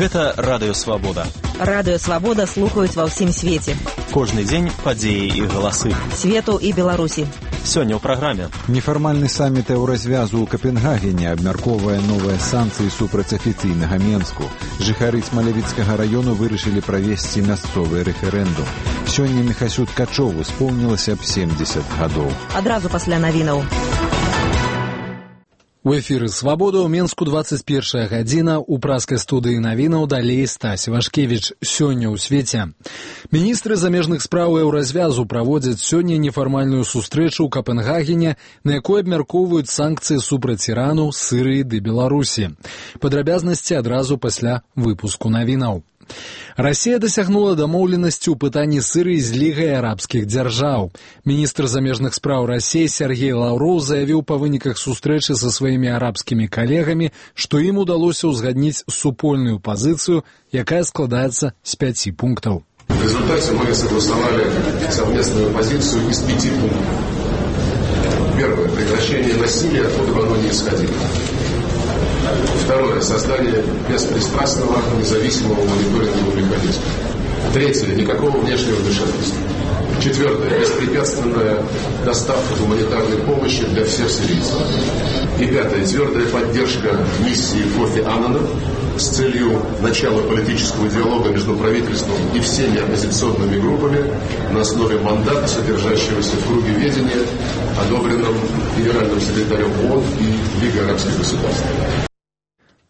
Гэта Радыё Свабода. Радыё Свабода слухаюць ва ўсім свеце. Кожны дзень падзеі і галасы. Свету і Беларусі. Сёння ў праграме. Нефармальны саміт еўразвязу ў Капенгагене абмяркоўвае новыя санкцыі супраць афіцыйнага Менску. Жыхары Смалявіцкага раёну вырашылі правесці мясцовы рэферэндум. Сёння Міхасю Ткачову споўнілася б 70 гадоў. Адразу пасля навінаў. У эфіры «Свабода» ў Менску 21 гадзіна. У праскай студыі навінаў далей Стась Вашкевіч. Сёння ў свеце. Міністры замежных спраў еўразвязу праводзяць сёння нефармальную сустрэчу ў Капенгагене, на якой абмяркоўваюць санкцыі супраць Ірану, Сірыі ды Беларусі. Падрабязнасці адразу пасля выпуску навінаў. Расія дасягнула дамоўленасці ў пытанні Сірыі з Лігай арабскіх дзяржаў. Міністр замежных спраў Расіі Сергей Лаўроў заявіў па выніках сустрэчы са сваімі арабскімі калегамі, што ім удалося ўзгадніць супольную пазіцыю, якая складаецца з 5 пунктаў. В результате мы согласовали совместную позицию из 5 пунктов. Первое. Прекращение насилия, откуда бы оно ни исходило. Второе. Создание беспристрастного, независимого мониторингового механизма. Третье. Никакого внешнего вмешательства. Четвертое. Беспрепятственная доставка гуманитарной помощи для всех сирийцев. И пятое. Твердая поддержка миссии Кофи Аннана с целью начала политического диалога между правительством и всеми оппозиционными группами на основе мандата, содержащегося в круге ведения, одобренном генеральным секретарем ООН и Лигой арабских государств.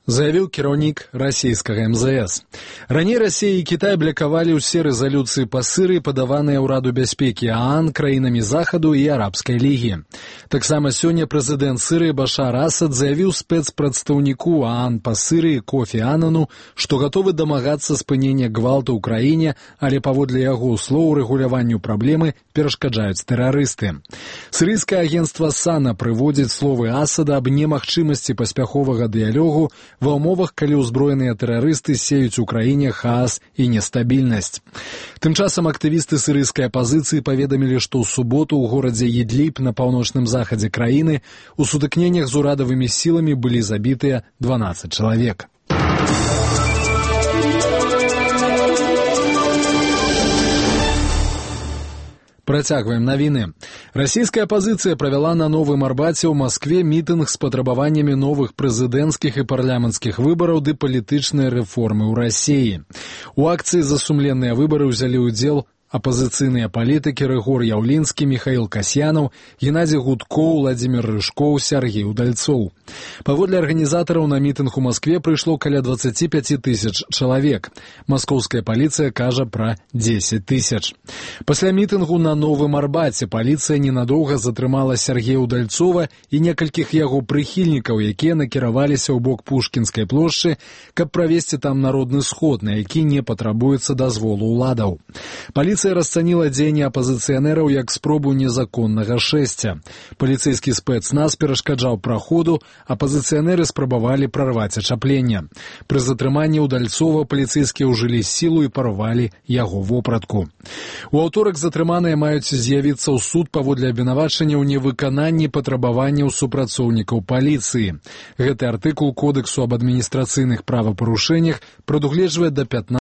Заявіў кіраўнік расійскага МЗС. Раней Расія і Кітай блакавалі ўсе рэзалюцыі па Сірыі, падаваныя ўраду бяспекі ААН краінамі Захаду і Арабскай лігі. Таксама сёння прэзідэнт Сірыі Башар Асад заявіў спецпрадстаўніку ААН па Сірыі Кофі Анану, што гатовы дамагацца спынення гвалту ў краіне, але паводле яго слоў рэгуляванню праблемы перашкаджаюць тэрарысты. Сірыйскае агенцтва САНА прыводзіць словы Асада аб немагчымасці паспяховага дыялогу ва ўмовах, калі ўзброеныя тэрарысты сеюць у краіне хаос і нестабільнасць. Тым часам актывісты сірыйскай апазіцыі паведамілі, што ў суботу ў горадзе Ідліб на паўночным захадзе краіны у сутыкненнях з урадавымі сіламі былі забітыя 12 чалавек. Працягваем навіны. Расійская апазіцыя правяла на Новым Арбаце ў Маскве мітынг з патрабаваннямі новых прэзідэнцкіх і парламенцкіх выбараў ды палітычнай рэформы ў Расіі. У акцыі за сумленныя выбары ўзялі ўдзел апазіцыйныя палітыкі Рыгор Яўлінскі, Міхаіл Касьянаў, Геннадзій Гудкоў, Владзімір Рыжкоў, Сяргей Удальцоў. Паводле арганізатараў на мітынг у Маскве прыйшло каля 25 тысяч чалавек. Маскоўская паліцыя кажа пра 10 тысяч. Пасля мітынгу на Новым Арбаце паліцыя ненадоўга затрымала Сяргея Удальцова і некалькіх яго прыхільнікаў, якія накіраваліся ў бок Пушкінскай плошчы, каб правесці там народны сход, на які не патрабуецца дазволу ўладаў. Паліцыя расцаніла дзеянні апазіцыянераў як спробу незаконнага шэсця. Паліцэйскі спецназ перашкаджаў праходу, апазіцыянеры спрабавалі прарваць ачапленне. Пры затрыманні Удальцова паліцэйскія ўжылі сілу і парвалі яго вопратку. У аўторак затрыманыя маюць з'явіцца ў суд паводле абвінавачання ў невыкананні патрабаванняў супрацоўнікаў паліцыі. Гэты артыкул Кодексу аб адміністрацыйных правапарушэннях прадугледжвае да 15